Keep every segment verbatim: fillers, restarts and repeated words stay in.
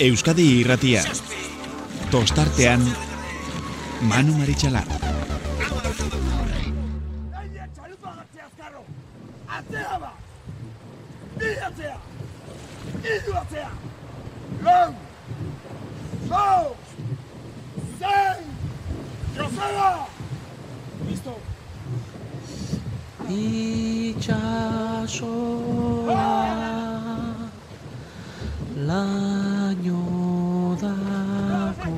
Euskadi Irratia. Tostartean Manu Maritxalar. Itxasoa laino dako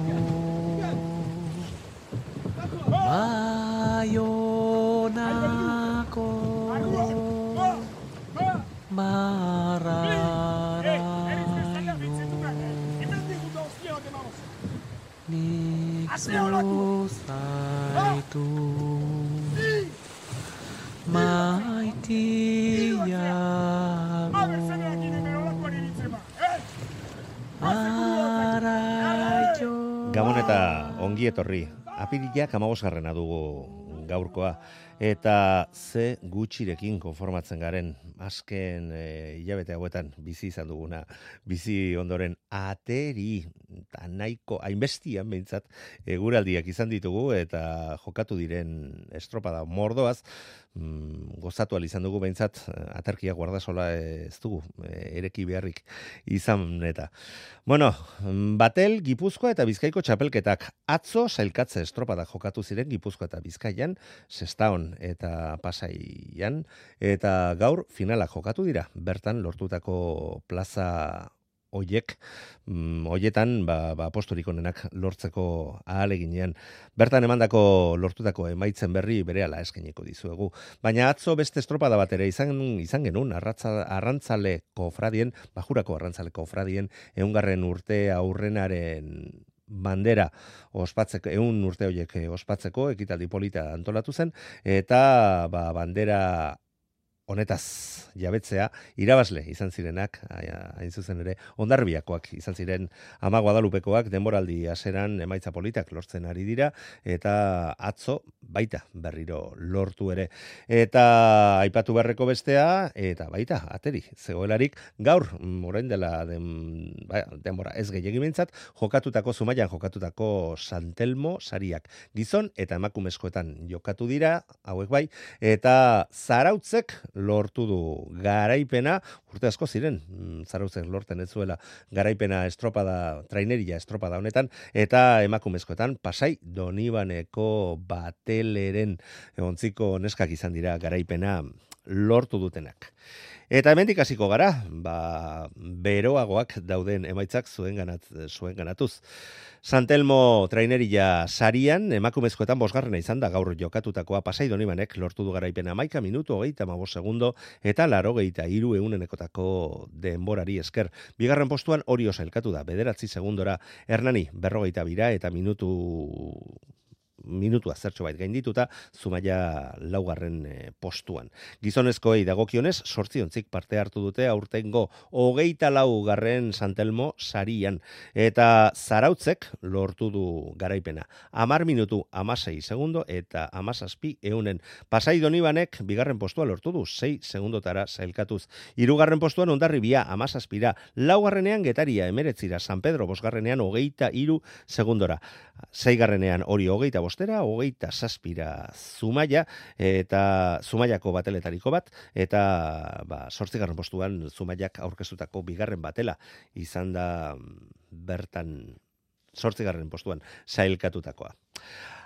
Baionako barraraino nik zuzaitu maitiago araio. Gabon eta ongi etorri. Apirilak hamabosgarrena dugu gaurkoa. Eta ze gutxirekin konformatzen garen, azken e, hilabete hauetan bizi izan duguna, bizi ondoren ateri, eta nahiko, hainbestian behintzat, eguraldiak izan ditugu, eta jokatu diren estropada mordoaz, mm, gozatu ahal izan dugu behintzat, aterkia guardasola ez dugu, e, ereki beharrik izan eta. Bueno, Batel, Gipuzkoa eta Bizkaiko txapelketak atzo sailkatze estropada jokatu ziren Gipuzkoa eta Bizkaian, Sestaon eta Pasaian, eta gaur finala jokatu dira, bertan lortutako plaza oiek, mm, oietan ba, ba, posturik onenak lortzeko ahaleginean. Bertan emandako lortutako emaitzen berri berehala eskainiko dizuegu. Baina atzo beste estropada bat ere izan, izan genuen, arratza, arrantzale kofradien, bajurako arrantzale kofradien, eungarren urte aurrenaren bandera ospatzeko, eun urte horiek ospatzeko, ekitaldi polita antolatu zen, eta ba, bandera honetaz jabetzea irabazle izan zirenak, hain zuzen ere, Hondarribiakoak izan ziren Ama Guadalupekoak denboraldi hasieran emaitza politak lortzen ari dira, eta atzo baita berriro lortu ere. Eta aipatu beharreko bestea, eta baita, ateri, zegoelarik, gaur, orain dela den, ba, denbora ez gehiegi behintzat, jokatutako, Zumaian jokatutako Santelmo sariak. Gizon eta emakumezkoetan jokatu dira, hauek bai, eta Zarautzek lortu du garaipena, urte asko ziren, Zarautzek lorten ez zuela garaipena estropada, traineria estropada honetan, eta emakumezkoetan Pasai Donibaneko Bateleren ontziko neskak izan dira garaipena lortu dutenak. Eta hemendik hasiko gara, ba, beroagoak dauden emaitzak zuen, ganat, zuen ganatuz. Santelmo traineria sarian, emakumezkoetan bosgarrena izan da gaur jokatutakoa Pasai Donibanek lortu du garaipena hamaika minutu, hogeita hamabost segundo, eta laurogeita hiru ehunenekotako denborari esker. Bigarren postuan Orio sailkatu da, bederatzi segundora, Hernani berrogeita bira eta minutu minutua zertxo bait gaindituta, Zumaia laugarren e, postuan. Gizonezkoei dagokionez, sortziontzik parte hartu dute aurtengo hogeita laugarren Santelmo sarian, eta Zarautzek lortu du garaipena. Amar minutu, amasei segundo, eta amazazpi eunen. Pasai Donibanek bigarren postua lortu du, sei segundotara sailkatuz. Hirugarren postuan Hondarribia, amazazpira. Laugarrenean Getaria, emeretzira. San Pedro, bosgarrenean hogeita hiru segundora. Seigarrenean hori hogeita bostera, hogeita zazpira Zumaia, eta Zumaiako bateletariko bat, eta ba, zortzigarren postuan Zumaiak aurkeztutako bigarren batela izan da bertan zortzigarren postuan sailkatutakoa.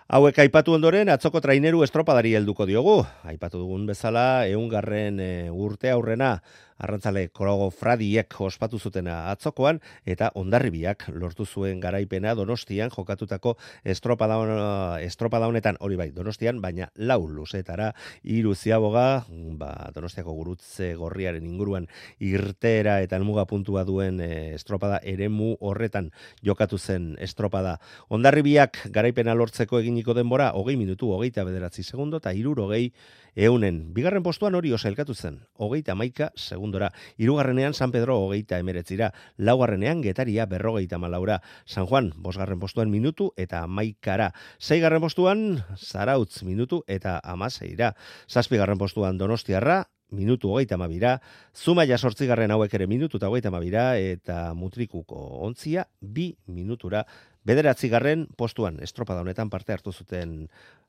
Hauek aipatu ondoren, atzoko traineru estropadari helduko diogu. Aipatu dugun bezala, eungarren e, urte aurrena, arrantzale kofradiek ospatu zutena atzokoan, eta Hondarribiak lortu zuen garaipena Donostian jokatutako estropada, estropada honetan, hori bai, Donostian, baina lau luzetara, hiru ziaboga, ba, Donostiako gurutze gorriaren inguruan irteera eta helmuga puntua duen e, estropada eremu horretan jokatu zen estropada. Hondarribiak garaipena lortzeko eginiko denbora, hogei minutu, hogeita bederatzi segundo, eta hirurogei eunen. Bigarren postuan Orio sailkatu zen, hogeita hamaika segundora. Hirugarrenean San Pedro hogeita emeretzira. Laugarrenean Getaria berrogeita malaura. San Juan bosgarren postuan minutu eta hamaikara. Seigarren postuan Zarautz minutu eta hamaseira. Zazpigarren postuan Donostiarra, minutu hogeita hamabira, Zumaia zortzigarren hauek ere minutu eta hogeita hamabira, eta Mutrikuko ontzia bi minutura. Bederatzigarren postuan estropada honetan parte hartu zuten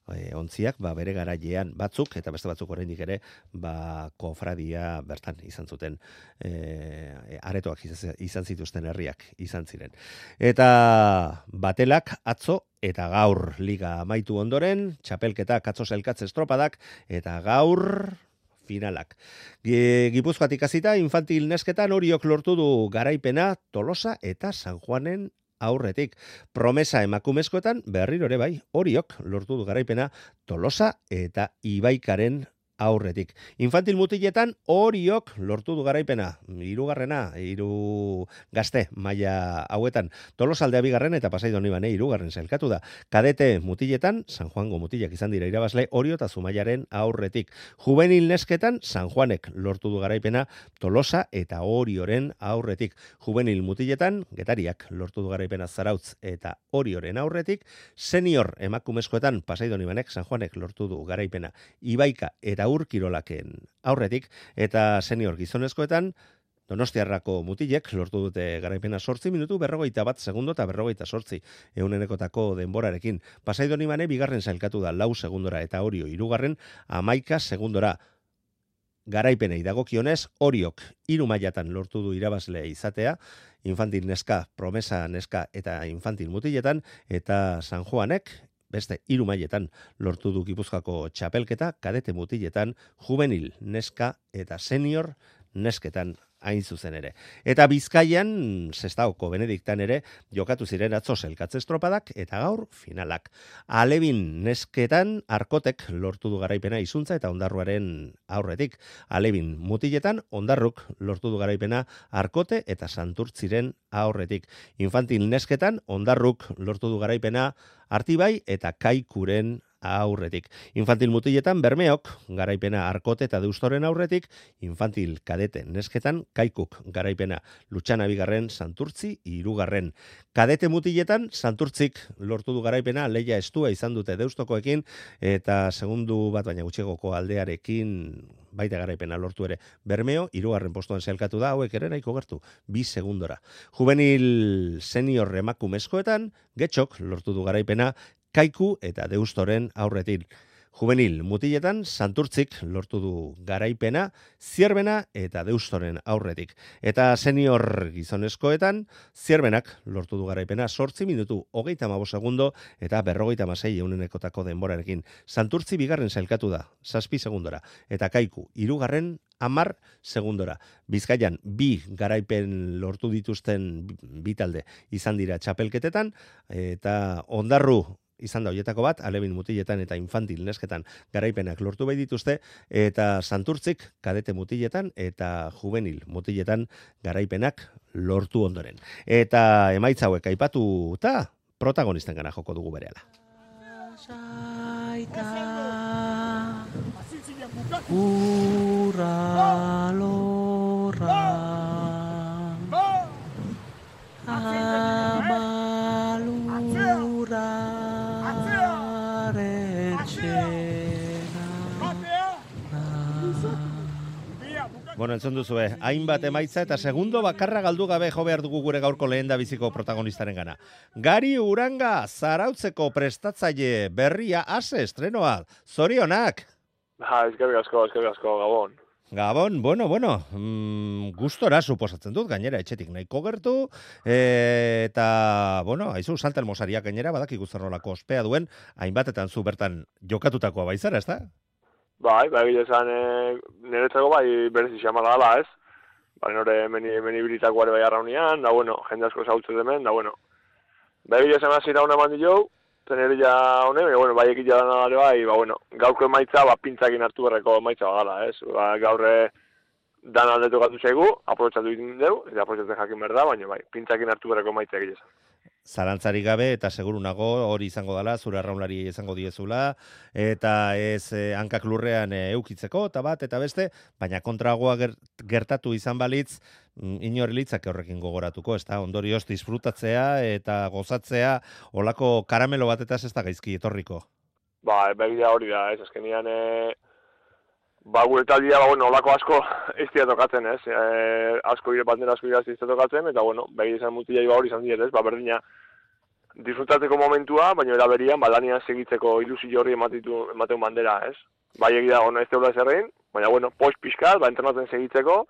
e, ontziak, ba, bere garailean batzuk, eta beste batzuk oraindik ere, ba, kofradia bertan izan zuten, e, aretoak izan zituzten herriak izan ziren. Eta batelak atzo eta gaur liga amaitu ondoren, txapelketak atzo zelkatze estropadak, eta gaur finalak. Gipuzkoatik hasita infantil nesketan Oriok lortu du garaipena Tolosa eta San Juanen aurretik. Promesa emakumezkoetan berriro ere bai, Oriok lortu du garaipena Tolosa eta Ibaikaren aurretik. Infantil mutiletan Oriok lortu du garaipena, hirugarrena, hiru gazte maila hauetan. Tolosaldea bigarren eta Pasai Donibane hirugarren sailkatu da. Kadete mutiletan San Juango mutilak izan dira irabazle Orio eta Zumaiaren aurretik. Juvenil nesketan San Juanek lortu du garaipena Tolosa eta Orioren aurretik. Juvenil mutiletan Getariak lortu du garaipena Zarautz eta Orioren aurretik. Senior emakumezkoetan Pasai Donibanek San Juanek lortu du garaipena Ibaika eta Urkirolaken aurretik, eta senior gizonezkoetan Donostiarrako mutilek lortu dute garaipena zortzi minutu, berrogeita bat segundo eta berrogeita zortzi eunenekotako denborarekin. Pasai Donibane bigarren sailkatu da lau segundora eta Orio hirugarren amaika segundora. Garaipenei dagokionez, Oriok hiru mailatan lortu du irabazle izatea, infantil neska, promesa neska eta infantil mutiletan, eta San Juanek beste hiru mailetan lortu du Gipuzkoako txapelketa, kadete mutiletan, juvenil neska eta senior nesketan hain zuzen ere. Eta Bizkaian, Sestaoko Benediktan ere, jokatu ziren atzo zelkatze estropadak eta gaur finalak. Alebin nesketan Arkotek lortu du garaipena Izuntza eta Ondarruaren aurretik. Alebin mutiletan Ondarruk lortu du garaipena Arkote eta Santurtziren aurretik. Infantil nesketan Ondarruk lortu du garaipena Artibai eta Kaikuren aurretik. Infantil mutiletan Bermeok garaipena Arkote eta Deustoren aurretik, infantil kadete nesketan Kaikuk garaipena Lutxana bigarren, Santurtzi hirugarren. Kadete mutiletan Santurtzik lortu du garaipena, leia estua izan dute Deustokoekin eta segundu bat baina gutxegoko aldearekin baita garaipena lortu ere. Bermeo hirugarren postuan sailkatu da, hauek ere nahiko gertu, bi segundora. Juvenil senior emakumezkoetan Getxok lortu du garaipena Kaiku eta Deustoren aurretik. Juvenil mutiletan Santurtzik lortu du garaipena Zierbena eta Deustoren aurretik. Eta senior gizonezkoetan Zierbenak lortu du garaipena zortzi minutu hogeita hamabost segundo eta berrogeita hamasei eunenekotako denborarekin. Santurtzi bigarren sailkatu da, zazpi segundora. Eta Kaiku hirugarren hamar segundora. Bizkaian bi garaipen lortu dituzten bi talde izan dira txapelketetan eta Ondarru izan da hoietako bat, Alebin mutiletan eta infantil nesketan garaipenak lortu bai dituzte, eta Santurtzik kadete mutiletan eta juvenil mutiletan garaipenak lortu ondoren. Eta emaitza hauek aipatu eta protagonisten gana joko dugu berehala. Urra lorra amalura Bueno, entzun duzue, hainbat emaitza eta segundo bakarra galdu gabe jo behar dugu gure gaurko lehen da biziko protagonistaren gana. Gari Uranga, Zarautzeko prestatzaile berria ase estrenoa. Zorionak! Ha, eskerrik asko, eskerrik asko, Gabon. Gabon, bueno, bueno, mm, gustora suposatzen dut, gainera etxetik nahiko gertu, e, eta, bueno, haizu, saltelmosariak gainera, badaki guztarrolako ospea duen, hainbatetan zu bertan jokatutakoa baizara, ez da? Bai, bai, esan, e, niretzako bai berezi xamala gala, ez? Bai, nore meni, meni bilitakoare bai arraunian, da, bueno, jende asko zautzen demen, da, bueno. Bai, esan hasi da una mandi jau, tenerilla hone, baina, bueno, bai ekitea dana dara bai, ba, bueno, gaurko emaitza, ba, pintzakin hartu berreko emaitza bagala, ez? Ba, gaurre dan aldetu gatu zaigu, aprobetsatu egin dugu, eta aprobetsatzen jakin behar da, baina, bai, pintzakin hartu berreko emaitza egitea. Zalantzarik gabe eta seguru nago hori izango dela, zure arraunlari izango diezula, eta ez eh, hankak lurrean eh, eukitzeko, eta bat, eta beste, baina kontragoa ger, gertatu izan balitz, inor litzake horrekin gogoratuko, ez da, ondorioz disfrutatzea eta gozatzea, olako karamelo batetaz ez da gaizki etorriko. Ba, begia hori da, ez, azkenian, e, ba, gure taldia, ba, bueno, olako asko ez dira tokatzen, ez? E, asko ire, bandera asko ira ez dira tokatzen, eta, bueno, behi izan mutilai ba hori izan dira, ez? Ba, berdina, disfrutatzeko momentua, baina eraberian, ba, lanian segitzeko ilusio hori ematitu, emateun bandera, ez? Bai egia, ono, ez teula zerrein, baina, bueno, post pixkat, ba, entrenatzen segitzeko,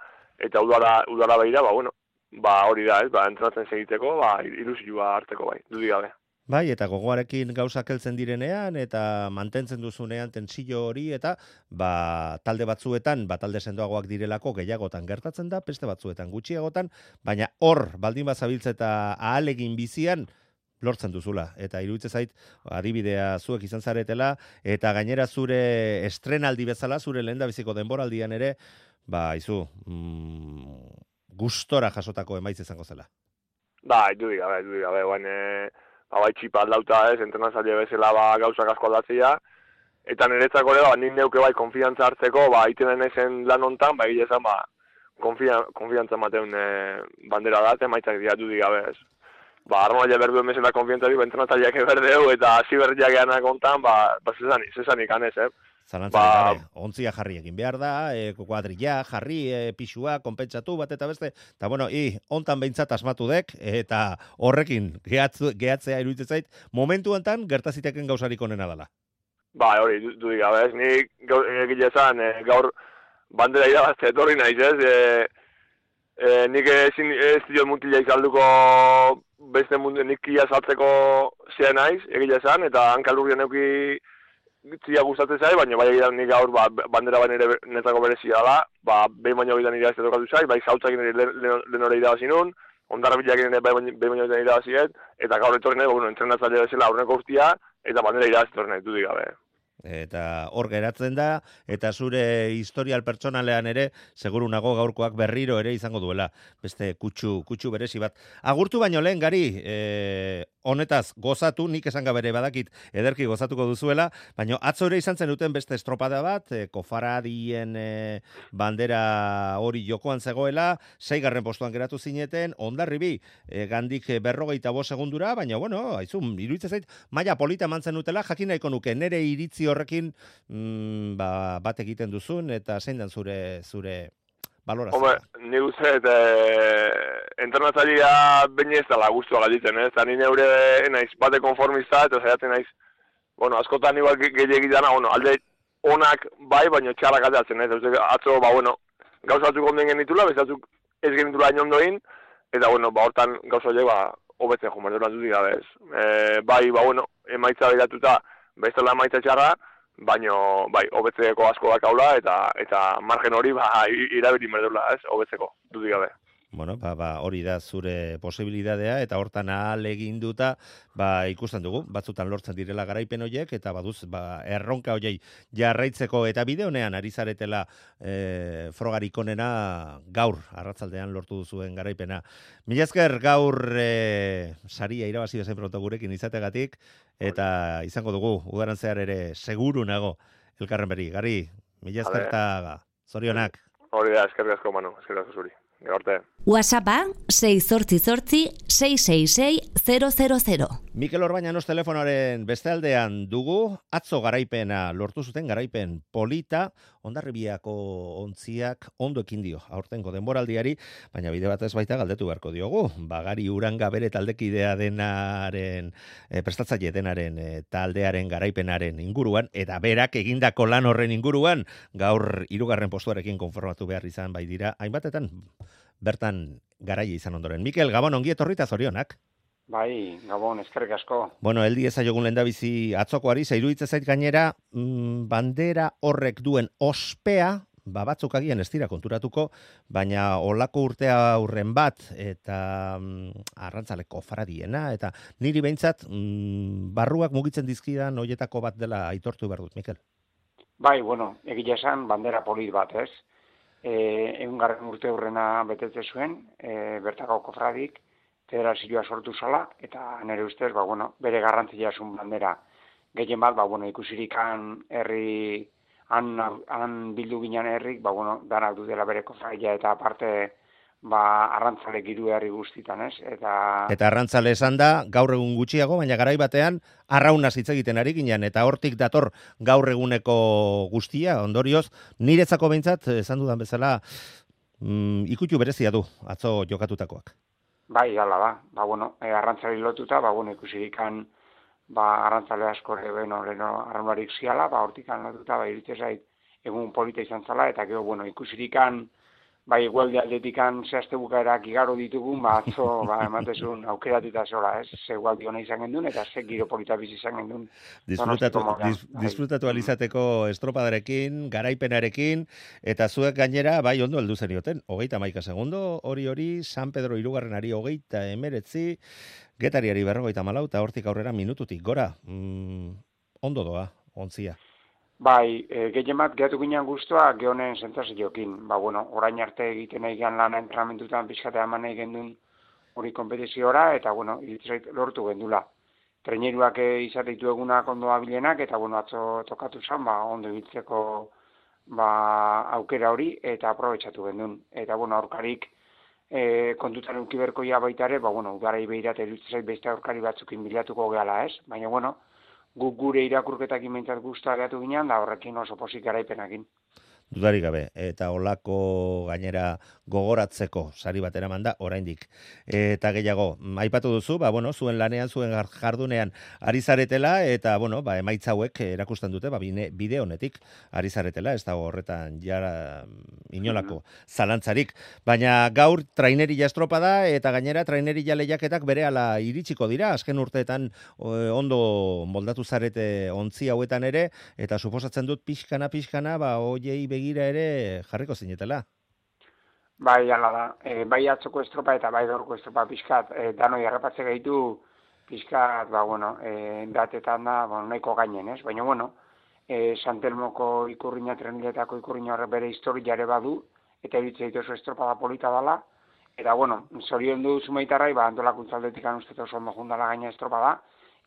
eta udara, udara behira, ba, bueno, ba, hori da, ez? Ba, entrenatzen segitzeko, ba, ilusioa hartzeko, bai, dudik gabe. Bai, eta gogoarekin gauzak heltzen direnean, eta mantentzen duzunean tensio hori, eta ba, talde batzuetan, ba, talde sendoagoak direlako gehiagotan gertatzen da, beste batzuetan gutxiagotan, baina hor, baldin bazabiltza eta ahalegin bizian, lortzen duzula. Eta iruditzen zait, adibidea zuek izan zaretela, eta gainera zure estrenaldi bezala, zure lehendabiziko denboraldian ere, ba, izu, mm, gustora jasotako emaitz izango zela. Ba, dudik gabe, dudik gabe, guain, e... Ba, bai, txipa aldauta ez, entrenazaile bezala ba, gauzak asko aldatzea, eta niretzako ere, ba, nik neuke bai, konfiantza hartzeko, ba, iten enezen lan hontan, ba, egile ba, konfiantza mateun e, bandera da, emaitzak dira dudik gabe ez. Ba, armaile berdu emezela konfiantza dira, entrenatzaileak eberdeu, eta hasi berriak eanak hontan, ba, ba zesanik anez, eh? Zalantzari ba, gabe, ontzia jarri egin behar da, e, kuadrilla, jarri, e, pixua, konpentsatu bat eta beste, eta bueno, i, ontan behintzat asmatu dek, eta horrekin gehatzu, gehatzea iruditzen zait, momentu enten gertaziteken gauzarik onena dela. Ba, hori, dudik gabe, ez, nik egile zan, e, gaur bandera irabazte etorri naiz, ez, e, e, nik ezin ez dio mutila izalduko beste mundu, nik kia saltzeko zea naiz, egile zan, eta hankalurrian euki tzia gustatzen zai, baina bai egidan nik gaur ba, bandera baina ere netzako berezia da, ba, behin baino egidan irabazte tokatu zai, bai zautzakin ere lehen hori irabazi nun, ondarra bilakin ere behin baino egidan irabaziet, eta gaur etorri nahi, bueno, entrenatzaile bezala aurreko urtia, eta bandera irabazte torri nahi, dudik gabe. Eta hor geratzen da, eta zure historial pertsonalean ere, seguru nago gaurkoak berriro ere izango duela, beste kutsu, kutsu berezi bat. Agurtu baino lehen, Gari, e, honetaz gozatu, nik esan gabere badakit ederki gozatuko duzuela, baina atzo ere izan zen duten beste estropada bat, e, kofaradien e, bandera hori jokoan zegoela, seigarren postuan geratu zineten, ondarribi, e, gandik berrogeita bost segundura, baina, bueno, haizun, iruditzen zait, maila polita mantzen dutela, jakin nahiko nuke, nere iritzi horrekin mm, ba, bat egiten duzun, eta zein den zure, zure balorazioa? Hombre, ni uste, eta entrenatzailea baina ez dela guztua galditzen, ez? Eta nire eure naiz bate konformista, eta zaiatzen naiz, bueno, askotan igual gehiagik dana, bueno, alde onak bai, baina txarrak aldatzen, ez? Atzo, ba, bueno, gauzatzuk onden genitula, bezatzuk ez genitula hain ondoin, eta, bueno, ba, hortan gauzatzek, ba, hobetzen jo, merdelan dutik gabe, ez? E, bai, ba, bueno, emaitza begiratuta, bestela emaitza txarra, baino, bai, hobetzeko asko dakaula, eta eta margen hori, ba, irabili merdula, ez, hobetzeko, dudik gabe. Bueno, ba, ba, hori da zure posibilidadea, eta hortan ahal eginduta, ba, ikusten dugu, batzutan lortzen direla garaipen horiek, eta baduz, ba, erronka horiei jarraitzeko, eta bideonean ari zaretela e, frogarik onena gaur, arratzaldean lortu duzuen garaipena. Mila esker gaur e, saria irabazi bezain pronto gurekin izategatik, eta izango dugu, udaran zehar ere, seguru nago, elkarren beri. Gari, mila esker eta zorionak. Hori da, esker asko, Manu, esker asko zuri. Gaurte. WhatsAppa sei zortzi zortzi sei sei sei zero zero zero. Mikel Orbañanos telefonoaren beste aldean dugu, atzo garaipena lortu zuten garaipen polita, Hondarribiako ontziak ondo ekin dio aurtengo denboraldiari, baina bide batez baita galdetu beharko diogu. Bagari Uranga bere taldekidea denaren, e, prestatzaile denaren e, taldearen garaipenaren inguruan, eta berak egindako lan horren inguruan, gaur hirugarren postuarekin konformatu behar izan bai dira, hainbatetan bertan garaia izan ondoren. Mikel, Gabon, ongi etorri eta zorionak. Bai, Gabon, eskerrik asko. Bueno, eldi ezaiogun lehendabizi atzokoari, iruditzen zait gainera, mm, bandera horrek duen ospea, ba batzuk agian ez dira konturatuko, baina olako urtea aurren bat, eta mm, arrantzaleko faradiena, eta niri behintzat mm, barruak mugitzen dizkidan hoietako bat dela aitortu behar dut, Mikel. Bai, bueno, egia esan bandera polit bat, ez? E, egungarren urte aurrena betetze zuen, e, bertako kofradik, federazioa sortu zala, eta nire ustez, ba, bueno, bere garrantzia zuen bandera. Gehien bat, ba, bueno, ikusirik han herri, han, han bildu ginen herrik, ba, bueno, danak dutela bere kofradia, eta aparte ba, arrantzale giru herri guztitan, ez? Eta... Eta arrantzale esan da, gaur egun gutxiago, baina garai batean, arraunaz hitz egiten ari ginen, eta hortik dator gaur eguneko guztia, ondorioz, niretzako behintzat, esan dudan bezala, mm, ikutu berezia du, atzo jokatutakoak. Bai, hala da. Ba, bueno, e, arrantzale lotuta, ba, bueno, ikusirikan, ba, arrantzale asko leno, leno arraunarik ziala, ba, hortikan lotuta, ba, iritze zait, egun polita izan zala, eta gero, bueno, ikusirikan, bai, igualde atletikan zehazte bukaerak igaro ditugun, ba, atzo, ba, ematezun aukeratita zola, ez? Ze igualdi hona izan gendun, eta ze giro polita bizi izan gendun. Disfrutatu, dis, disfrutatu alizateko estropadarekin, garaipenarekin, eta zuek gainera, bai, ondo heldu zenioten, hogeita maika segundo, hori hori, San Pedro hirugarrenari hogeita emeretzi, Getariari berrogeita malau, eta hortik aurrera minututik, gora, mm, ondo doa, ontzia. Bai, e, gehien bat gehatu ginen guztua gehonen sentaziokin. Ba, bueno, orain arte egiten nahi gian lana entrenamentutan pixkatea eman nahi gendun hori kompetiziora, eta, bueno, iritzait lortu gendula. Traineruak izate ditu egunak ondo abilenak, eta, bueno, atzo tokatu zen, ba, ondo ibiltzeko ba, aukera hori, eta aprobetxatu gendun. Eta, bueno, aurkarik e, kontutan ukiberkoia baitare, ba, bueno, udarai behirat iritzait beste aurkari batzukin bilatuko gehala, ez? Baina, bueno, guk gure irakurketakin behintzat guztua gehatu ginean, da horrekin oso pozik garaipenakin. Dudarik gabe, eta olako gainera gogoratzeko sari bat eraman da oraindik. Eta gehiago, aipatu duzu, ba, bueno, zuen lanean, zuen jardunean ari zaretela, eta bueno, ba, emaitza hauek erakusten dute, ba, bide honetik ari zaretela, ez dago horretan jara inolako zalantzarik. Baina gaur trainerilla estropada, eta gainera trainerilla lehiaketak berehala iritsiko dira, azken urteetan ondo moldatu zarete ontzi hauetan ere, eta suposatzen dut pixkana, pixkana, ba, hoiei begira ere jarriko zinetela. Bai, ala da. E, bai atzoko estropa eta bai gaurko estropa pixkat, e, danoi errepatze gaitu pixkat, ba, bueno, e, datetan da, bueno, nahiko gainen, ez? Baina, bueno, e, Santelmoko ikurriña, treniletako ikurriña horre bere historiare badu, eta eritzea oso estropa da polita dala, eta, bueno, zorion du zumeitarrai, ba, antolakuntzaldetik anuztet oso ondo jundala gaina estropa da,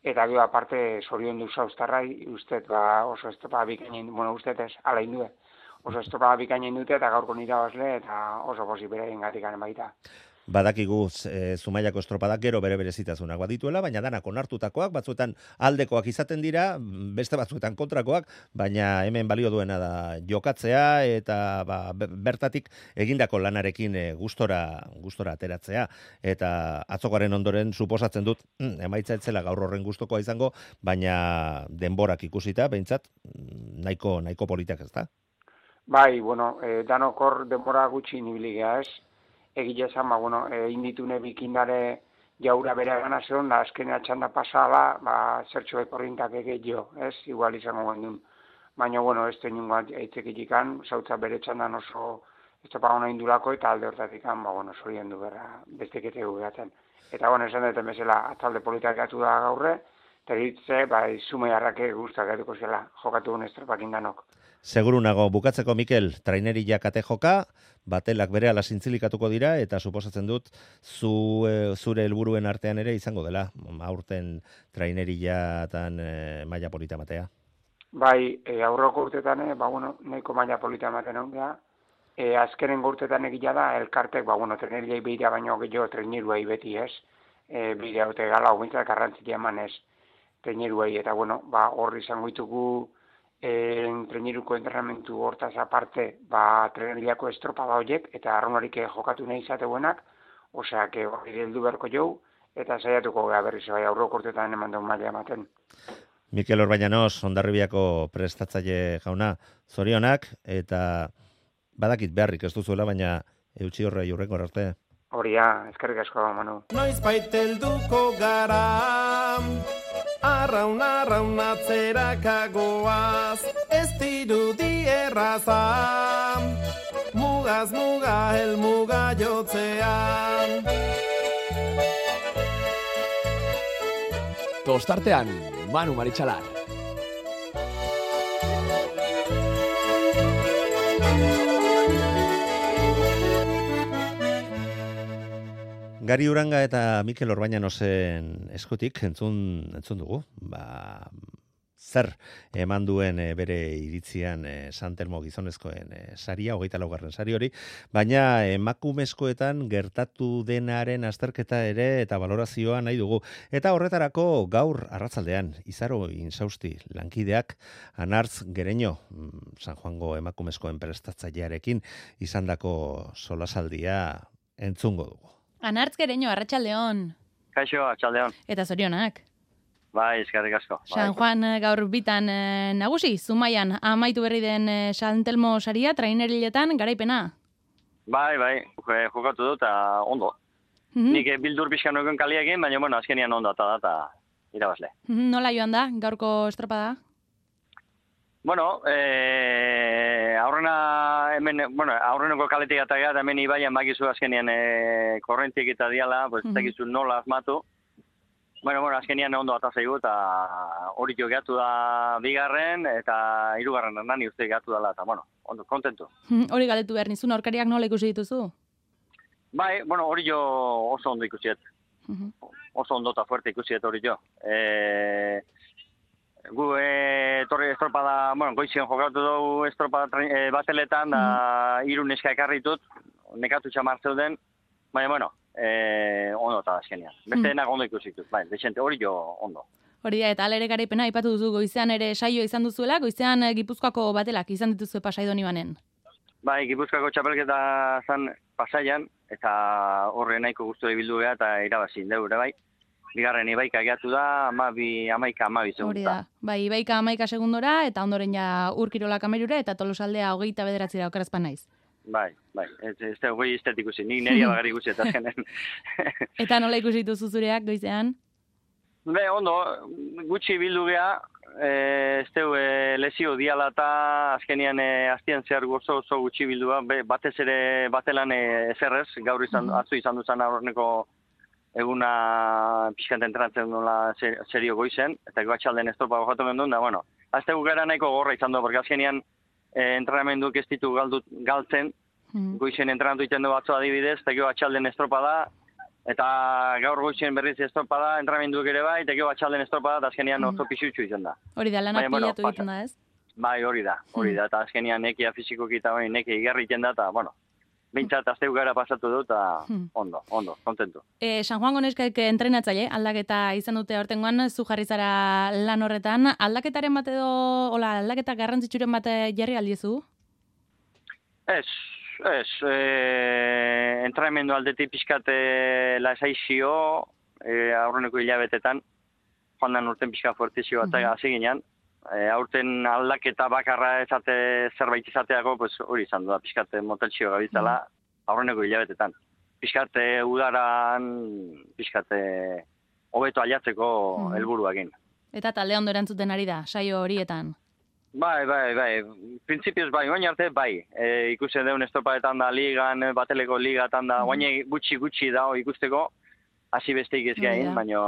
eta gero aparte zorion du zauztarrai, ustet, ba, oso estropa bikainen, bueno, ustet ez, ala indue. Oso estropa bikainen dute eta gaurko nira basle eta oso posi bere ingatikan baita. Badakigu e, Zumaiako estropadak gero bere berezitasunak badituela, baina danak onartutakoak, batzuetan aldekoak izaten dira, beste batzuetan kontrakoak, baina hemen balio duena da jokatzea eta ba, bertatik egindako lanarekin e, gustora, gustora ateratzea. Eta atzokoaren ondoren suposatzen dut, mm, emaitza etzela gaur horren gustokoa izango, baina denborak ikusita, behintzat, nahiko, nahiko politak ez da. Bai, bueno, e, danokor denbora gutxi nibiligea ez. Egile esan, ba, bueno, e, inditune bikindare jaura bere gana zeon, da azkenea txanda pasala, ba, zertxo ekorrinkak egeo, ez, igual izango gendun. Baina, bueno, ez teningo eitzekikikan, zautza bere txandan oso estopa hona indulako, eta alde hortatikan, ba, bueno, zorien du berra, bestekete gugaten. Eta, bueno, esan duten bezala, atzalde politak gatu da gaurre, eta ditze, ba, izume harrake guztak gatuko zela, jokatu un estropakin danok. Seguru nago, bukatzeko Mikel, trainerilla kate joka, batelak berehala zintzilikatuko dira, eta suposatzen dut zu, e, zure helburuen artean ere izango dela, aurten trainerillatan e, maila polita matea. Bai, e, aurroko urtetan, e, ba, bueno, nahiko maila polita maten ondea, e, azkenen urtetan egila da, elkartek, ba, bueno, trainerillai behira baino gehiago traineruai beti ez, e, behira haute gala, ogintzak garrantzitia eman ez, traineruai, eta, bueno, ba, horri izango ditugu, En traineruko entrenamentu hortaz aparte, ba, trainerillako estropada horiek, eta arronarik jokatu nahi izateuenak, osea, que hori heldu beharko jau, eta saiatuko gara berriz, bai, aurroko urtetan eman duen maila ematen. Mikel Orbañanos, Hondarribiako prestatzaile jauna, zorionak, eta badakit beharrik ez duzuela, baina eutxi horre jurreko arte. Horia, eskerrik asko, Manu. Noiz baitelduko gara, arraun arraun atzerakagoaz, ez dirudi erraza, mugaz muga helmuga jotzean. Tostartean, Manu Maritxalar. Gari Uranga eta Mikel Orbañanosen eskutik entzun, entzun dugu. Ba, zer eman duen e, bere iritzian e, San Telmo gizonezkoen e, saria, hogeita laugarren sari hori, baina emakumezkoetan gertatu denaren azterketa ere eta valorazioa nahi dugu. Eta horretarako gaur arratsaldean Izaro Insausti lankideak Anartz Gereño, San Juango emakumezkoen prestatzailearekin izandako solasaldia entzungo dugu. Anartz Gereño, arratsaldeon. Kaixo, arratsaldeon. Eta zorionak. Bai, eskerrik asko. San Juan gaur bitan e, nagusi, Zumaian amaitu berri den e, San Telmo saria, traineriletan garaipena. Bai, bai, jokatu dut, eta ondo. Mm-hmm. Nik bildur pixkan nuken kaliekin, baina, bueno, azkenian ondo eta da, eta irabazle. Mm-hmm. Nola joan da, gaurko estropada? Bueno, eh, aurrena, hemen, bueno, aurreneko kaletik eta gara, hemen ibaian bakizu azkenian e, korrentik eta diala, pues, mm-hmm. Tekizu nola azmatu. Bueno, bueno, azkenian ondo atazaigu eta hori jo gehatu da bigarren eta hirugarren nani uste gehatu dela eta, bueno, ondo, kontentu. Hori galetu behar nizun, aurkariak nola ikusi dituzu? Bai, bueno, hori jo oso ondo ikusiet. Uh-huh. Oso ondo eta fuerte ikusiet hori jo. E, gu e, torri estropada, bueno, goizien jokatu dugu estropada e, bateletan, da uh-huh. Hiru neska ekarritut, nekatu txamar zeuden, baina, bueno, Eh, ondo eta azkenean. Beste denak ondo ikusituz, bai, desente, hori jo ondo. Hori da, eta alere garaipena aipatu duzu, goizean ere saio izan duzuela, goizean Gipuzkoako batelak izan dituzue Pasaidon ibanen. Bai, Gipuzkoako txapelketa zan Pasaian, eta horre nahiko guztu ebildu geha, eta irabazin deure, bai. Bigarren ibaika gehiatu da, amabi, amaika, amabi segunda. Hori da, bai, ibaika amaika segundora, eta ondoren ja Urkirola kamerura, eta Tolosaldea hogeita bederatzira okerazpan naiz. Bai, bai, ez da goi iztet ikusi, nik neria bagari ikusi eta zenen. Eta nola ikusi dituzu zureak goizean? Be, ondo, gutxi bildu geha, ez deu e, lezio diala eta azkenian e, aztien zehar gozo oso gutxi bildu geha, batez ere batelan e, ezerrez, gaur izan, mm-hmm. atzu izan duzan aurreneko eguna pixkant entratzen nola serio goizen, eta batxalden estropa gojatu mendun, da, bueno, azte gukera nahiko gorra izan du, porque azkenian E, entrenamenduk ez ditu galdu, galtzen, mm. Goizen entrenatu iten du batzu adibidez, eta gero atxalden estropada, eta gaur goizen berriz estropada, entrenamenduk ere bai, eta gero atxalden estropada, eta azkenian mm. oso pixutxu izan da. Hori da, lanak bueno, pilatu egiten da ez? Bai, hori da, hori da, eta azkenian nekia fizikoki eta bai, nekia igarri iten da, eta, bueno, bintzat azteu gara pasatu dut, eta hmm. ondo, ondo, kontentu. E, San Juan Goneskaik entrenatzaile, aldaketa izan dute hortengoan, zu jarri zara lan horretan, aldaketaren bat edo, hola, aldaketa garrantzitsuren bat jarri aldiezu? Ez, ez, e, entrenamendu aldetik pixkate lasaizio, e, aurreneko hilabetetan, joan dan urten pixka fuertizio bat mm-hmm. hasi ginean, e, aurten aldaketa bakarra ezate zerbait izateako, pues, hori izan du da, pixkate moteltxio gabitzala, mm-hmm. aurreneko hilabetetan. Pixkate udaran, pixkate hobeto aliatzeko mm-hmm. helburuakin. Eta talde ondo erantzuten ari da, saio horietan? Bai, bai, bai. Printzipioz bai, oain arte bai. E, ikusten deun estropaetan da ligan, bateleko ligatan da, oain gutxi-gutxi dago ikusteko, hasi besteik ez gain, baina,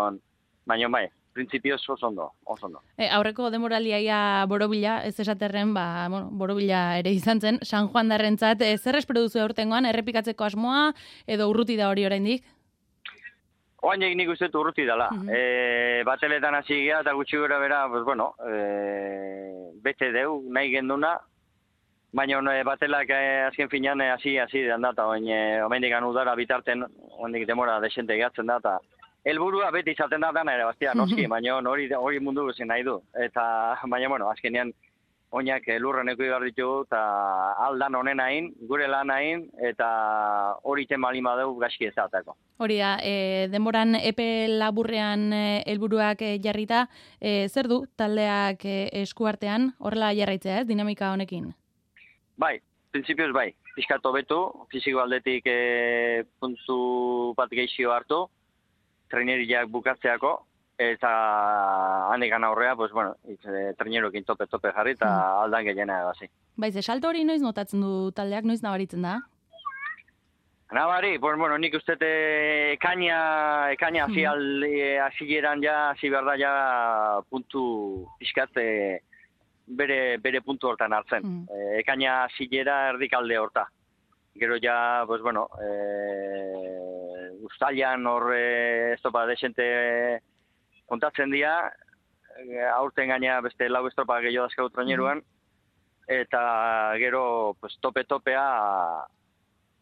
baina bai. Printzipioz oso ondo, oso ondo. E, aurreko demoraliaia borobila, ez esaterren, ba, bueno, borobila ere izan zen, San Juan darrentzat, e, zer espero duzu aurtengoan, errepikatzeko asmoa, edo urruti da hori oraindik? Oainek nik uste urruti dela. Uh-huh. E, bateletan hasi gea, eta gutxi gora bera, pues, bueno, e, bete deu, nahi genduna, baina e, batelak e, azken finean hasi, hasi den da, eta omendik udara bitarten, omendik demora desente gehatzen da, eta helburua beti izaten da dana ere, bastia, noski, baina hori, hori mundu guzin nahi du. Eta, baina, bueno, azkenean, oinak lurren eko ibar ditugu, eta aldan honen hain, gure lan hain, eta hori tema lima dugu gaski ezatako. Hori da, e, denboran epe laburrean helburuak e, jarrita, e, zer du taldeak e, eskuartean, horrela jarraitzea ez, dinamika honekin? Bai, printzipioz bai, pixkat hobetu, fiziko aldetik e, puntu bat gehizio hartu, traineriak bukatzeako, eta handikan aurrea, pues, bueno, e, trainerokin tope-tope jarri, eta hmm. aldan gehiena egazi. Baiz, salto hori noiz notatzen du taldeak, noiz nabaritzen da? Nabari, pues, bueno, nik uste ekaina, ekaina hasi hmm. hasieran ja, hasi behar da ja puntu pixkat e, bere, bere puntu hortan hartzen. Hmm. E, ekaina hasiera erdikalde horta. Gero ja, pues, bueno, e, ustailan hor e, estopa desente kontatzen dira, aurten gaina beste lau estropa gehiago dazkau traineruan, eta gero pues, tope-topea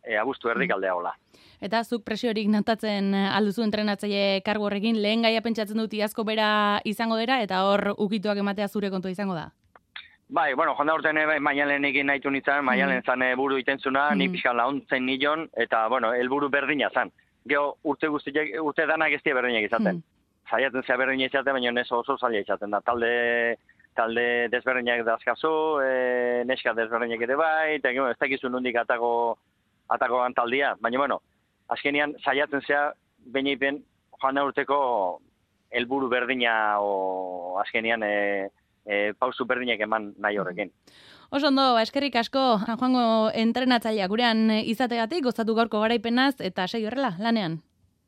e, abuztu erdik aldea hola. Eta zuk presiorik notatzen alduzu entrenatzaile kargu horrekin, lehen gaia pentsatzen dut iazko bera izango dira, eta hor ukituak ematea zure kontu izango da? Bai, bueno, jonda urten maialen egin nahitu nintzen, maialen zan buru itentzuna, mm. ni pixkan launtzen nion, eta, bueno, helburu berdina zan. Gero urte guztiak, urte danak ez die berdinak izaten. Mm. Zaiatzen zea berdinak izaten, baina ez oso zaila izaten da. Talde, talde desberdinak dazkazu, e, neska desberdinak ere bai, eta ez dakizu nondik atako, atako taldia. Baina, bueno, azkenian zaiatzen zea, baina joan urteko helburu berdina, o azkenian, e, E, pausu berdinak eman nahi horrekin. Oso ondo, eskerrik asko, San Juango entrenatzailea gurean izategatik, gozatu gaurko garaipenaz, eta segi horrela, lanean.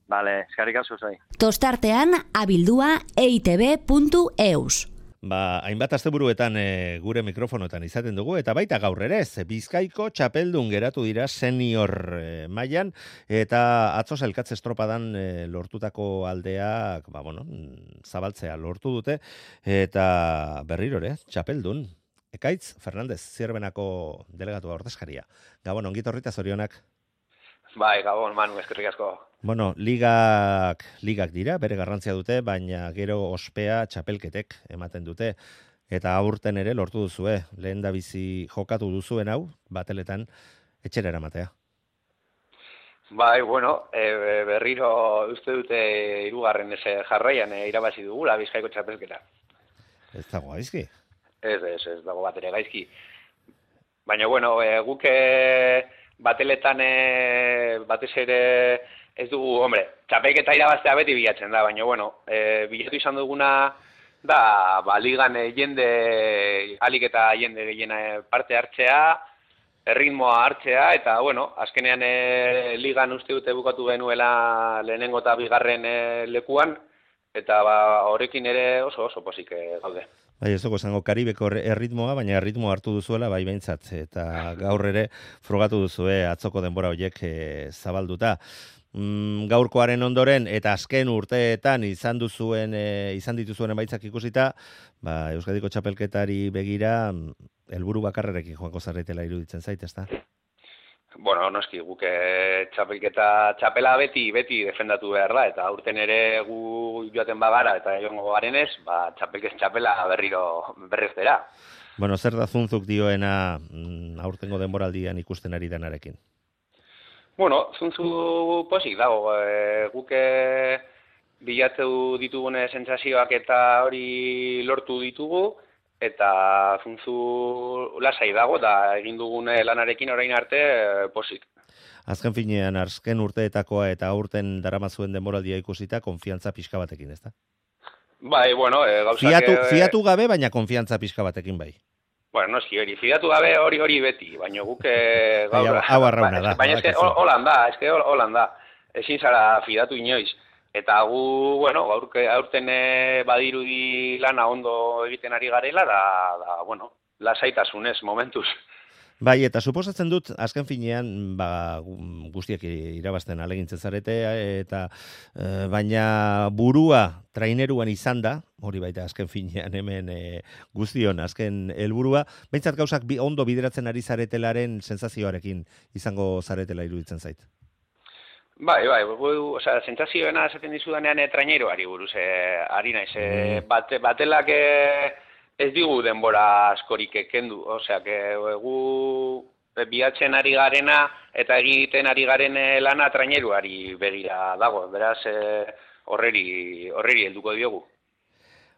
Bale, eskerrik asko zai. Tostartean, abildua eitb puntu eus. Ba, hainbat asteburuetan e, gure mikrofonoetan izaten dugu, eta baita gaur ere ez, Bizkaiko txapeldun geratu dira senior e, mailan, eta atzo sailkatze estropadan e, lortutako aldeak, ba, bueno, zabaltzea lortu dute, eta berriro ere, txapeldun. Ekaitz Fernandez, Zierbenako delegatua ordezkaria. Gabon, ongit horrita zorionak. Bai, Gabon, Manu, eskerrik asko. Bueno, ligak, ligak dira, bere garrantzia dute, baina gero ospea txapelketek ematen dute. Eta aurten ere lortu duzue, lehen da bizi jokatu duzuen hau, bateletan etxera eramatea. Bai, bueno, e, berriro uste dute hirugarren ese jarraian e, irabazi dugula Bizkaiko txapelketa. Ez dago gaizki? Ez, ez, ez dago bat ere gaizki. Baina, bueno, e, guk bateletan e, batez ere ez dugu, hombre, txapelketa irabaztea beti bilatzen da, baina, bueno, e, bilatu izan duguna da, ba, ligan e, jende, alik eta jende gehiena parte hartzea, erritmoa hartzea, eta, bueno, azkenean e, ligan uste dute bukatu genuela lehenengo eta bigarren e, lekuan, eta ba, horrekin ere oso oso posik e, gaude. Bai, ez dugu esango Karibeko erritmoa, baina erritmoa hartu duzuela bai behintzat, eta gaur ere frogatu duzue atzoko denbora horiek e, zabalduta. Mm, gaurkoaren ondoren eta azken urteetan izan duzuen e, izan dituzuen emaitzak ikusita, ba, Euskadiko txapelketari begira helburu bakarrerekin joango zarretela iruditzen zait, ezta? Bueno, noski, guk txapelketa txapela beti beti defendatu behar da, eta aurten ere gu joaten bagara eta joango garenez, ba, txapelkez txapela berriro berreztera. Bueno, zer da Zunzuk dioena aurtengo denboraldian ikusten ari denarekin? Bueno, Zunzu posik dago, e, guk bilatu ditugune sentsazioak eta hori lortu ditugu, eta Zunzu lasai dago, da egin dugune lanarekin orain arte e, posik. Azken finean, azken urteetakoa eta aurten daramazuen denboraldia ikusita, konfiantza pixka batekin, ezta? Bai, bueno, e, gauzak... Fiatu, fiatu gabe, baina konfiantza pixka batekin bai. Bueno, noski hori, fidatu gabe hori hori beti, baina guk gaur... Hau arrauna da. Baina eske holan da, eske holan da. Ezin zara fidatu inoiz. Eta gu, bueno, aurten badirudi lana ondo egiten ari garela, da, da bueno, lasaitasunez momentuz. Bai, eta suposatzen dut, azken finean, ba, guztiak irabazten alegintzen zarete, eta e, baina burua traineruan izan da, hori baita azken finean hemen e, guztion, azken helburua, behintzat gauzak bi, ondo bideratzen ari zaretelaren sensazioarekin izango zaretela iruditzen zait. Bai, bai, gu, osea, sentsazioena esaten dizudanean e, traineruari buruz, e, ari naiz, e, bate, batelak... E, ez digu denbora askorik kendu, osea, gu bilatzen ari garena eta egiten ari garen lana traineruari begira dago, beraz horreri horreri helduko diogu.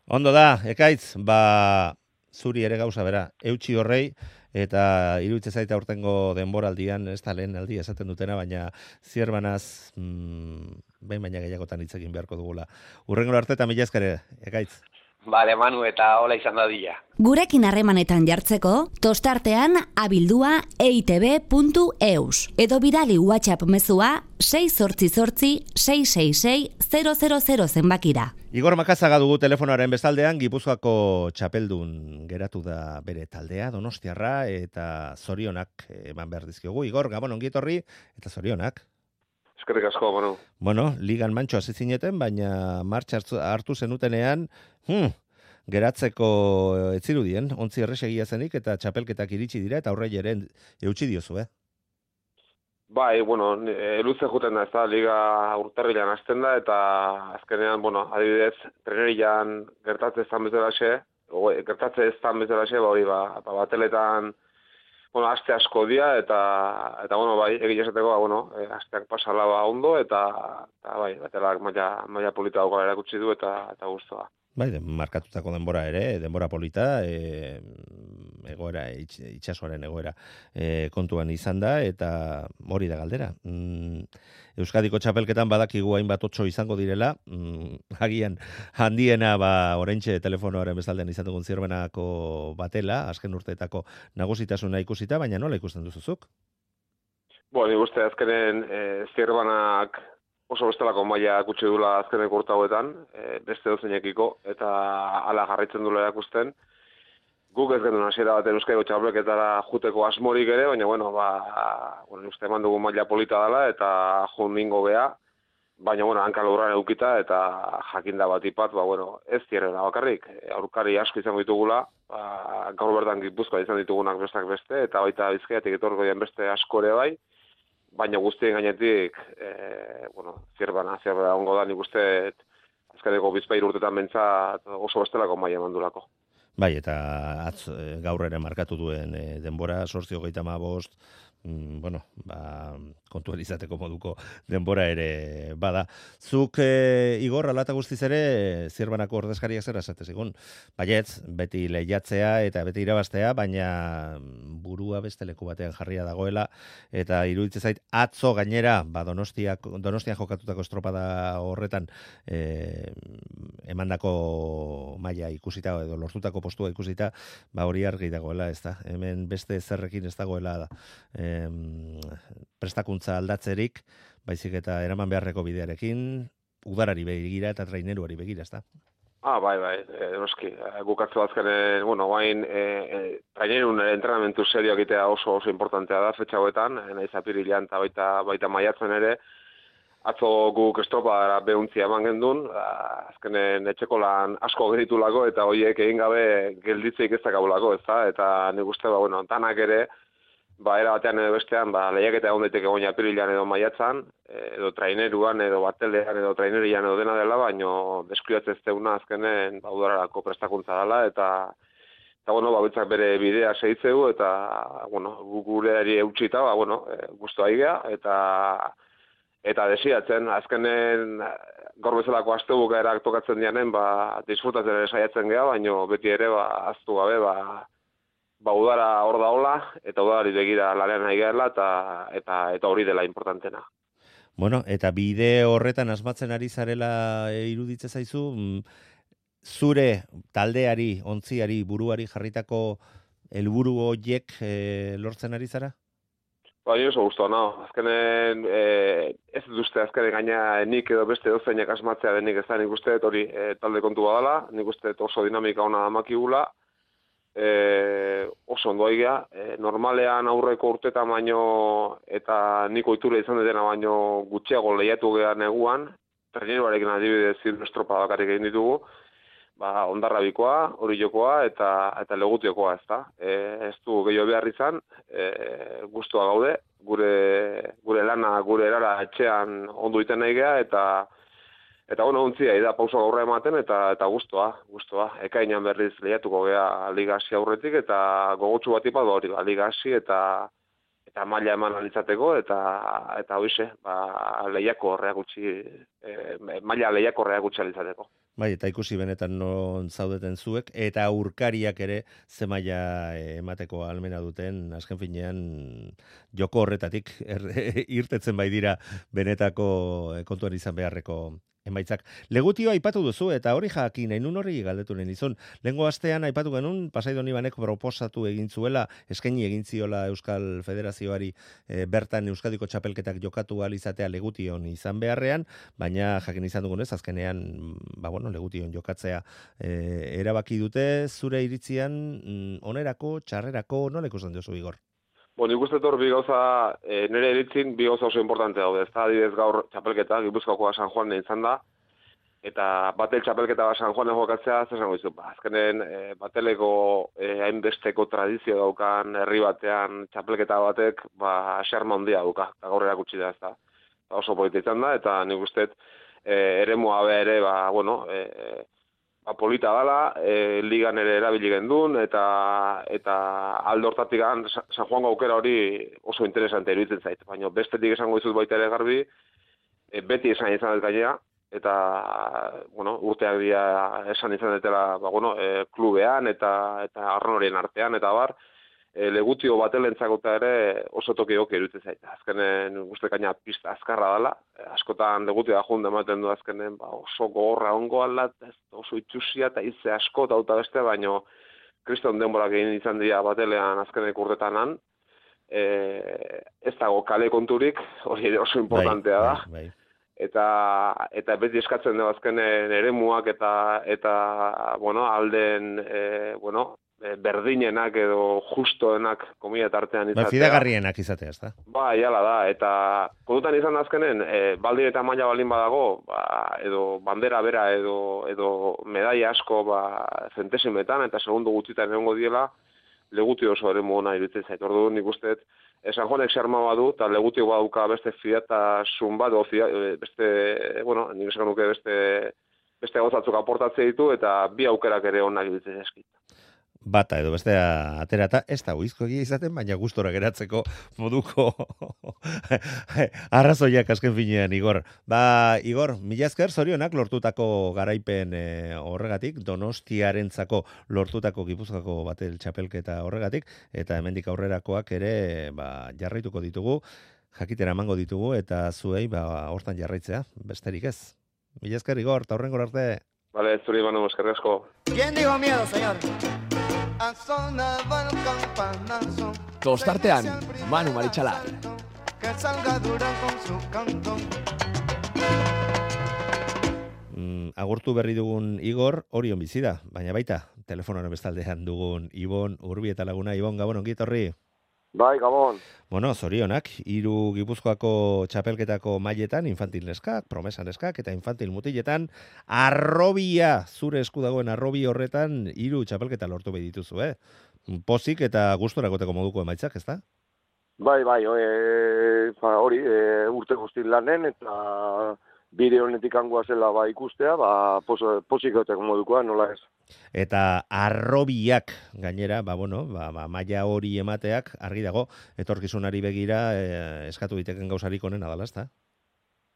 Ondo da, Ekaitz, ba zuri ere gauza bera, eutsi horrei, eta iruditzen zaita aurtengo denboraldian, ez da lehen aldi esaten dutena, baina zierbanaz, mm, behin baina gehiagotan hitz egin beharko dugula. Hurrengo arte eta mila esker, Ekaitz. Bale, Manu, eta hola izan da dila. Gurekin harremanetan jartzeko, tostartean abildua eitb puntu eus. Edo bidali WhatsApp mezua sei zortzi zortzi sei sei sei zero zero zero zenbakira. Igor Makazaga dugu telefonoaren bestaldean, Gipuzkoako txapeldun geratu da bere taldea, Donostiarra, eta zorionak eman behar dizkiogu. Igor, Gabon, ongi etorri, eta zorionak. Eskerrik asko, Manu. Bueno, ligan mantxo hasi zineten, baina martxa hartu zenutenean, hmm, geratzeko ez zirudien, ontzi erresegia zenik eta txapelketak iritsi dira eta aurre ere eutsi diozu, eh? Bai, bueno, luze juten da, ez da, liga urtarrilan hasten da, eta azkenean, bueno, adibidez, trenerian gertatze ez dan bezalaxe, gertatze ez dan bezalaxe, ba hori, ba, ba bateletan, bueno, aste asko dia, eta, eta bueno, bai, egin esateko, ba, bueno, e, asteak pasala ba ondo, eta, eta bai, batelak maila, maila polita daukala erakutsi du, eta, eta guztua. Bai, den, markatutako denbora ere, denbora polita, e, egoera, itx, itxasoaren egoera e, kontuan izan da, eta hori da galdera. Mm, Euskadiko txapelketan badakigu hainbat otso izango direla, mm, agian handiena ba oraintxe telefonoaren bezaldean izan dugun Zierbenako batela, azken urteetako nagusitasuna ikusita, baina nola ikusten duzuzuk? Bo, ni uste azkenen e, Zierbenak oso bestelako maila gutxi dula azkeneko urte hauetan, e, beste dozeinekiko, eta hala jarraitzen dula erakusten. Guk ez genuen hasiera baten Euskadiko txapelketara juteko asmorik ere, baina bueno, ba, bueno, uste eman dugu maila polita dela eta jun ningo bea, baina bueno, hanka lurran edukita eta jakinda bat ipat, ba bueno, ez Zierrena bakarrik, aurkari asko izango ditugula, ba, gaur bertan Gipuzkoa izan ditugunak bestak beste, eta baita Bizkaiatik etorriko dien beste asko ere bai, baina guztien gainetik, e, bueno, Zierbana, Zierbana ongo da, nik uste azkeneko bizpahiru urtetan bentsat oso bestelako maila mandulako. Bai, eta atz, gaur ere markatu duen e, denbora, sortzi hogeita hamabost, mm, bueno, ba, kontuan izateko moduko denbora ere bada. Zuk, e, Igor, alata guztiz ere, Zierbanako ordezkariak zera esate zigun. Baietz, beti lehiatzea eta beti irabaztea, baina burua beste leku batean jarria dagoela, eta iruditzen zait, atzo gainera, ba, Donostiak, Donostian jokatutako estropada horretan, e, emandako maila ikusita, edo lortutako postua ikusita, ba hori argi dagoela, ez da. Hemen beste zerrekin ez dagoela da. E, prestakuntza aldatzerik, baizik eta eraman beharreko bidearekin, udarari begira eta traineruari begira, ez da. Ah, bai, bai, e, noski. Gukatzu azkenen, bueno, bain, e, e, trainerun entrenamentu serio egitea oso oso importantea da, fetxauetan, naiz apirilean eta baita, baita maiatzen ere, atzo guk estropadara behuntzia eman gendun, azkenen etxeko lan asko geritulako eta horiek egin gabe gelditzeik ez dakabulako, ez da? Eta nik uste, ba, bueno, tanak ere, ba, era batean edo bestean, ba, lehiaketa egon daiteke goina apirilean edo maiatzan, edo traineruan, edo batelean, edo trainerian edo dena dela, baino deskuidatzez teuna azkenen, ba, udararako prestakuntza dela, eta eta, bueno, ba, bitzak bere bidea segitzeu, eta, bueno, gugureari eutxita, ba, bueno, guztu aigea, eta Eta desiatzen, azkenen gaur bezalako astebuka erak tokatzen dianen, ba, disfrutatzen ere saiatzen geha, baino beti ere, ba, aztu gabe, ba, ba, udara hor da hola, eta udari begira larean nahi gehela, eta, eta, eta hori dela importantena. Bueno, eta bide horretan asmatzen ari zarela iruditze zaizu, zure taldeari, ontziari, buruari jarritako helburu horiek e, lortzen ari zara? Ba, nire oso guztua, no. Azkenen, e, ez dut uste azkenen gaina nik edo beste dozeinak asmatzea denik ez da, nik uste hori e, talde kontu badala, nik uste oso dinamika ona damakigula, e, oso ondo aigea, e, normalean aurreko urtetan baino eta niko iture izan detena baino gutxiago lehiatu geha neguan, traineruarekin adibidez estropa bakarrik egin ditugu, ba, Ondarrabikoa, Orillokoa eta eta Legutiokoa, ez da. E, ez du gehiago behar izan, e, guztua gaude, gure gure lana, gure erara etxean ondo iten nahi geha, eta eta bueno, ontzia, da pauso gaurra ematen, eta eta guztua, guztua. Ekainan berriz lehiatuko geha Liga hasi aurretik, eta gogotsu bat ipat hori, ba, Liga hasi eta eta maila eman alitzateko, eta eta hoize, ba, lehiako horreak gutxi, e, maila lehiako horreak gutxi alitzateko. Bai, eta ikusi benetan non zaudeten zuek, eta aurkariak ere ze maila emateko almena duten, azken finean joko horretatik er, irtetzen bai dira benetako kontuan izan beharreko emaitzak. Legutioa aipatu duzu, eta hori jakin, nahi nun hori galdetu nahi nizun. Lehengo astean aipatu genuen, Pasai Donibanek proposatu egin zuela, eskaini egin ziola Euskal Federazioari e, bertan Euskadiko txapelketak jokatu ahal izatea Legution izan beharrean, baina jakin izan dugunez, azkenean, ba bueno, Legution jokatzea e, erabaki dute, zure iritzian, mm, onerako, txarrerako, nola ikusten duzu, Igor? Bueno, nik uste hor bi gauza, e, nire eritzin, bi gauza oso importante daude. Ez da, adibidez gaur txapelketa, Gipuzkoakoa San Juan izan da, eta batel txapelketa bat San Juanen jokatzea, zer zango izu, ba, azkenen e, bateleko e, hainbesteko tradizio daukan herri batean txapelketa batek, ba, xarma handia dauka, eta gaur erakutsi da ez da. Oso polita izan da, eta nik uste e, eremua be ere, ba, bueno, e, ba, polita dala, e, ligan ere erabili gendun, eta, eta alde hortatik San Juan aukera hori oso interesante iruditzen zait. Baina bestetik esango dizut baita ere garbi, e, beti esan izan dut gainera, eta, bueno, urteak dira esan izan dutela, ba, bueno, e, klubean eta eta arronorien artean, eta bar, e, legutio batelentzako ere oso toki goke iruditzen zait. Azkenen uste gaina pista azkarra dela, e, askotan legutio da junda ematen du azkenen, ba, oso gogorra ongo alat, oso itxusia eta hitze asko eta uta beste, baino kriston denborak egin izan dira batelean azkenek urtetanan, e, ez dago kale konturik, hori ere oso importantea da. Bai, bai. Eta eta beti eskatzen da azkenen eremuak eta eta bueno, alden e, bueno, berdinenak edo justoenak komila tartean izatea. Ba, fidagarrienak izatea, ezta? Ba, jala da, eta kontutan izan da azkenen, e, baldin eta maila baldin badago, ba, edo bandera bera edo edo medaia asko ba zentesimetan eta segundo gutxitan egongo diela, legutio oso eremu ona iruditzen zait. Orduan nik uste San Juanek xarma badu, eta legutio baduka beste fidatasun bat, beste, bueno, nik esan nuke beste, beste gauzatzuk aportatze ditu, eta bi aukerak ere onak iruditzen eskit. Bata edo bestea aterata, ez da uizko egia izaten, baina gustora geratzeko moduko arrazoiak azken finean, Igor. Ba, Igor, mila esker zorionak lortutako garaipen e, horregatik, Donostiarentzako lortutako Gipuzkoako batel txapelketa horregatik, eta hemendik aurrerakoak ere ba, jarraituko ditugu, jakitera emango ditugu, eta zuei ba, hortan jarraitzea, besterik ez. Mila esker, Igor, eta horrengor arte. Vale, zuri banu, eskerrik asko. ¿Quién dijo miedo, señor? Tostartean, Manu Maritxalar. Mm, agurtu berri dugun Igor, Orion bizi da, baina baita, telefonoan bestaldean dugun Ibon Urbi eta laguna. Ibon, Gabon, ongi etorri. Bai, Gabon. Bueno, zorionak, hiru Gipuzkoako txapelketako mailetan, infantil neskak, promesa neskak, eta infantil mutiletan, arrobia, zure esku dagoen arrobi horretan, hiru txapelketa lortu behi dituzu, eh? Pozik eta gustorakoteko moduko emaitzak, ez da? Bai, bai, e, fa, hori, e, urte guztin lanen, eta bide honetik angoa zela ba, ikustea, ba, pos, pozik egoteko modukoa, nola ez. Eta arrobiak gainera, ba, bueno, ba, ba, maila hori emateak, argi dago, etorkizunari begira eh, eskatu diteken gauzarik onena dala, ezta?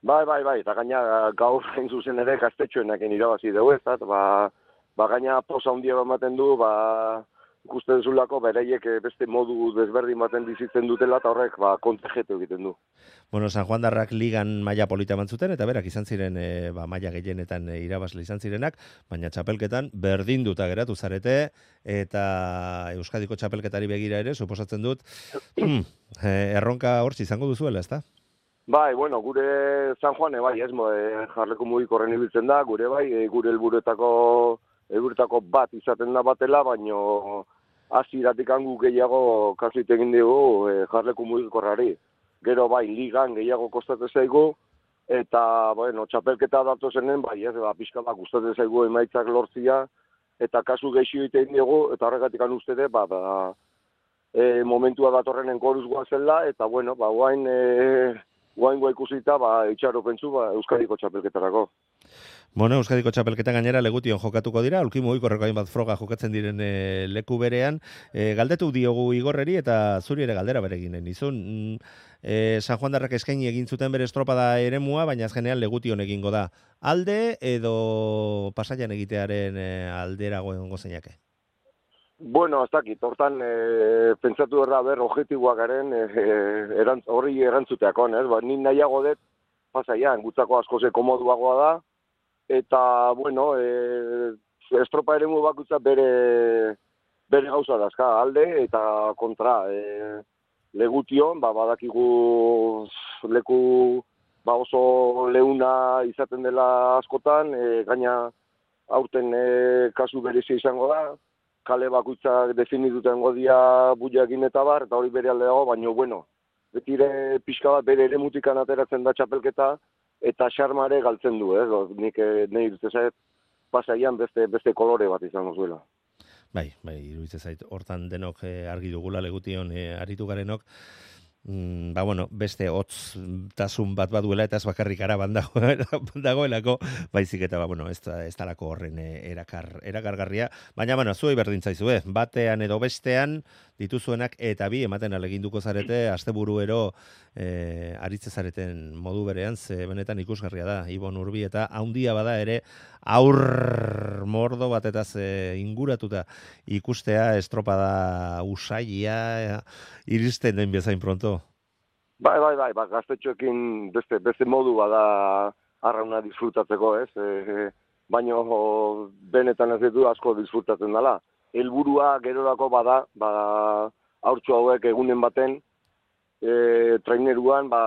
Bai, bai, bai, eta gaina gaur hain zuzen ere gaztetxoenak irabazi dugu, ez da, ba, ba gaina posa handia ematen du, ba, ikusten zulako bereiek beste modu desberdin baten bizitzen dutela, eta horrek ba, kontejetu egiten du. Bueno, San Juan darrak ligan maila polita mantzuten, eta berak izan ziren e, ba, maila gehienetan e, irabazle izan zirenak, baina txapelketan berdinduta geratu zarete, eta Euskadiko txapelketari begira ere, suposatzen dut, erronka hortz izango duzuela, ezta? Bai, bueno, gure San Juane, bai, ez, e, jarleko mugikorren ibiltzen da, gure bai, e, gure helburuetako helburuetako bat izaten da batela, baino hasieratik hangu gehiago kasu egin dugu e, jarleku mugikorrari. Gero bai, ligan gehiago kostatzen zaigu, eta, bueno, txapelketa datu zenen, bai, ez, ba, pixka bat gustatzen zaigu emaitzak lortzia, eta kasu gehiago egiten dugu, eta horregatik anu uste de, ba, ba, e, momentua datorren enkoruz guazela, eta, bueno, ba, guain, e, guain gua ikusita, ba, itxaro pentsu, ba, Euskadiko txapelketarako. Bueno, Euskadiko txapelketa gainera legution jokatuko dira, ulkimo ikorreko hainbat froga jokatzen diren e, leku berean. E, galdetu diogu Igorreri eta zuri ere galdera bereginen izun. E, San Juan darrak eskaini egin zuten bere estropada eremua, baina azkenean legution egingo da. Alde edo pasaian egitearen e, alderago egongo zeinake? Bueno, ez dakit, hortan e, pentsatu erra ber objektiboak garen e, erantz, horri erantzuteakon, ez? Ba, nin nahiago dut pasaian, gutzako asko ze komoduagoa da, eta, bueno, e, estropa eremu bakutza bere, bere gauza dazka, alde eta kontra. E, legution, ba, badakigu leku ba, oso leuna izaten dela askotan, e, gaina aurten e, kasu berezia izango da, kale bakutzak definituten godia buiakin eta bar, eta hori bere alde dago, baina, bueno, betire pixka bat bere ere mutikan ateratzen da txapelketa, eta xarmare galtzen du, ez? Nik nahi iruditzen zait, pasaian beste, beste kolore bat izango zuela. Bai, bai, iruditzen zait, hortan denok argi dugula legution aritu garenok, Mm, ba, bueno, beste hotz tasun bat baduela eta ez bakarrik araban dago, dagoelako, baizik eta, ba, bueno, ez, ez talako horren erakar, erakargarria, baina, bueno, zuei berdin zaizue, batean edo bestean dituzuenak eta bi ematen aleginduko zarete, asteburuero e, aritze zareten modu berean, ze benetan ikusgarria da, Ibon Urbi eta haundia bada ere aur mordo batetaz e, inguratuta ikustea estropada usaia iristen den bezain pronto. Bai, bai, bai, ba, gaztetxoekin beste, beste modu bada arrauna disfrutatzeko, ez? E, baina benetan ez ditu asko disfrutatzen dela. Helburua gerorako bada, ba, haurtxo hauek egunen baten, e, traineruan, ba,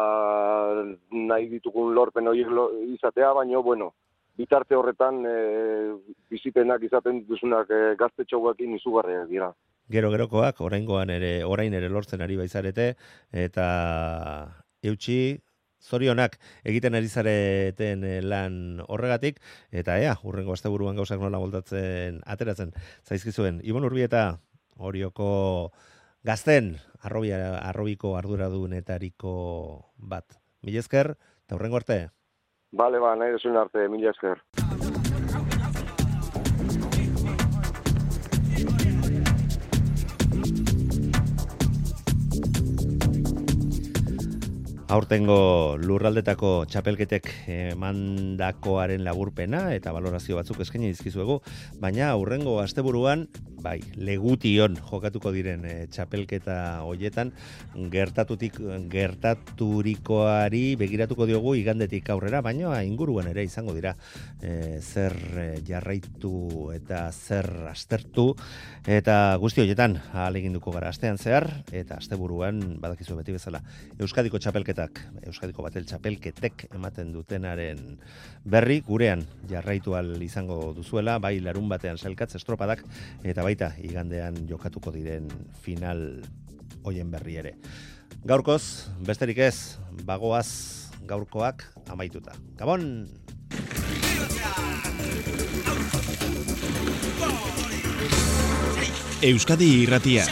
nahi ditugun lorpen horiek izatea, baina, bueno, bitarte horretan e, bizipenak izaten dituzunak e, gaztetxo hauekin izugarriak dira. Gero-gerokoak, oraingoan ere, orain ere lortzen ari baizarete, eta eutxi, zorionak egiten ari zareten lan horregatik, eta ea, hurrengo asteburuan gauzak nola moldatzen ateratzen zaizkizuen. Ibon Urbi eta Orioko gazten, arrobia, arrobiko arduradunetariko bat. Mila esker, eta hurrengo arte. Bale, ba, nahi desuen arte, mila esker. Aurtengo lurraldetako txapelketek emandakoaren laburpena eta valorazio batzuk eskaini dizkizuegu, baina aurrengo asteburuan, bai, legution jokatuko diren e, txapelketa hoietan gertatutik gertaturikoari begiratuko diogu igandetik aurrera, baina inguruan ere izango dira e, zer jarraitu eta zer aztertu eta guzti horietan ahaleginduko gara astean zehar eta asteburuan badakizu beti bezala Euskadiko txapelketa Euskadiko batel txapelketek ematen dutenaren berri gurean jarraitu al izango duzuela, bai larun batean sailkatz estropadak eta baita igandean jokatuko diren final hoien berri ere. Gaurkoz, besterik ez, bagoaz gaurkoak amaituta. Gabon! Euskadi Irratia.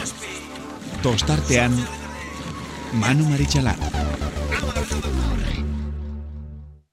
Tostartean Manu Maritxalar.